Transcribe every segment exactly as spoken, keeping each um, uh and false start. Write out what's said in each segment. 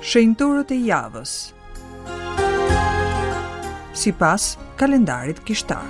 Shenjtorët e javës. Sipas kalendarit kishtar.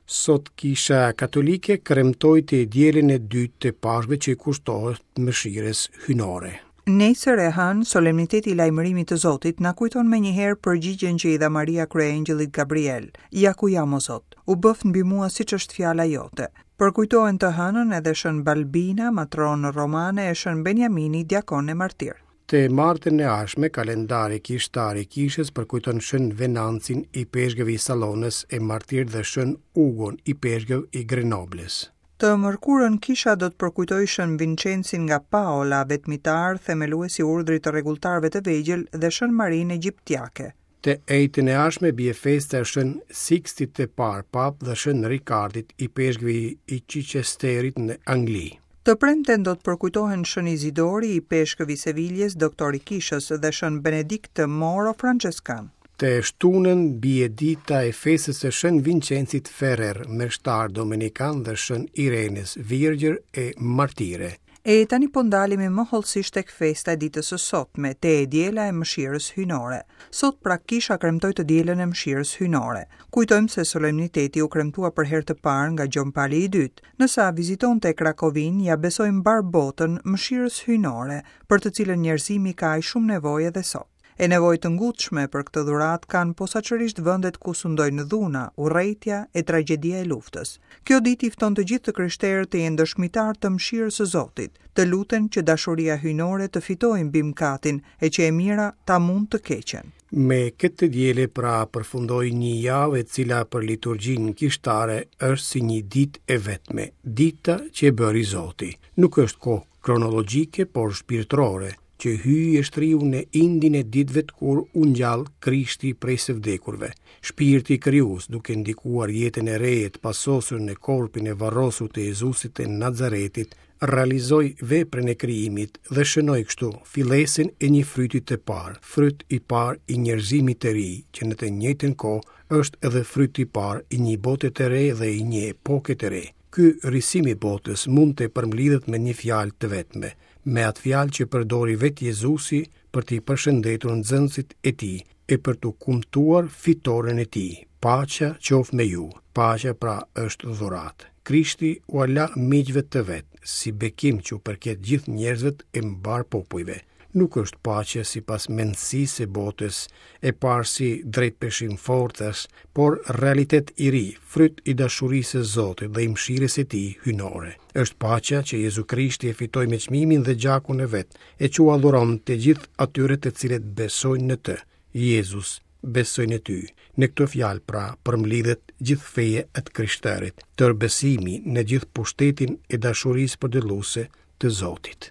Sot Kisha Katolike kremtoi të dielën e dytë të Pashkëve që i kushtohet mëshirës hyjnore. Nesër e hënë, solemniteti i lajmërimit të Zotit na kujton menjëherë përgjigjen që i dha Maria kryeangjëllit Gabriel. Ja ku jam o Zot, u bëft mbi mua siç është fjala jote. Përkujtohen të hënën edhe Shën Balbina, matronë romane e Shën Benjamini, diakon e martir. Të martën e ardhshme, kalendari kishtar i kishës përkujton Shën Venancin, ipeshkëv i Salonës e martir dhe Shën Ugon, ipeshkëv i Grenobles. Të mërkurën kisha do të përkujtojë Shën Vincencin nga Paola, vetmitar, themelues i urdhrit të rregulltarëve të vegjël dhe Shën Marinë Egjiptiake. Të enjten e ardhshme bie festa e Shën Sikstit të Parë Pap dhe Shën Rikardit, ipeshkëvi i Chichesterit në Angli. Të premten do të përkujtohen Shën Izidori, ipeshkëv i Seviljes, doktor i kishës dhe Shën Benedikt Moro Franceskan. Të shtunën bie dita e festës së Shën Vincencit Ferrer, meshtar dominikan dhe Shën Irenës, virgjër e martire. E tani po ndalemi më hollësisht tek festa e ditës së sotme, te e diela e mëshirës hyjnore. Sot pra kisha kremtoi të dielën e mëshirës hyjnore. Kujtojmë se solemniteti u kremtua për herë të parë nga Gjon Pali i dytë. Nësa vizitonte Krakovin, ja besoi mbar botën mëshirës hyjnore, për të cilën njerëzimi ka aq shumë nevojë edhe sot. E nevojë të ngutshme për këtë dhuratë kanë posaçërisht vendet ku sundojnë dhuna, urrejtja e tragjedia e luftës. Kjo ditë i fton të gjithë të krishterët të jenë dëshmitar të mëshirës së Zotit, të luten që dashuria hyjnore të fitojë mbi mëkatin e që e mira ta mund të keqen. Me këtë të diele pra përfundoi një javë e cila për liturgjinë kishtare është si një ditë e vetme, dita që e bëri Zoti. Nuk është kohë kronologjike, por shpirtërore, që hyji e shtriu në indin e ditëve kur u ngjall Krishti prej së vdekurve. Shpirti krijues, duke ndikuar jetën e re të pasosur në korpin e varrosur të Jezusit të Nazaretit, realizoi veprën e krijimit dhe shënoi kështu fillesën e një fryti të parë, fryt i parë i njerëzimit të ri, që në të njëjtën kohë është edhe fryti i parë i një bote të re dhe i një epoke të re. Ky risim i botës mund të përmblidhet me një fjalë të vetme, me atë fjalë që përdori vetë Jezusi për t'i përshëndetur nxënësit e tij e për t'u kumtuar fitoren e tij. Paqja qoftë me ju. Paqja pra është dhuratë. Krishti ua la miqve të vet, si bekim që u përket gjithë njerëzve e mbar popujve. Nuk është paqe sipas mendësisë së botës, e parë si drejtpeshim forcash, por realitet i ri, fryt i dashurisë së Zotit dhe i mëshirës së tij hyjnore. Është paqja që Jezu Krishti e fitoi me çmimin dhe gjakun e vet, e që ua dhuron të gjithë atyre të cilët besojnë në të. Jezus, besoj në ty. Në këtë fjalë pra përmblidhet gjithë feja e të krishterit, tërë besimi në gjithë pushtetin e dashurisë përdëlluese të Zotit.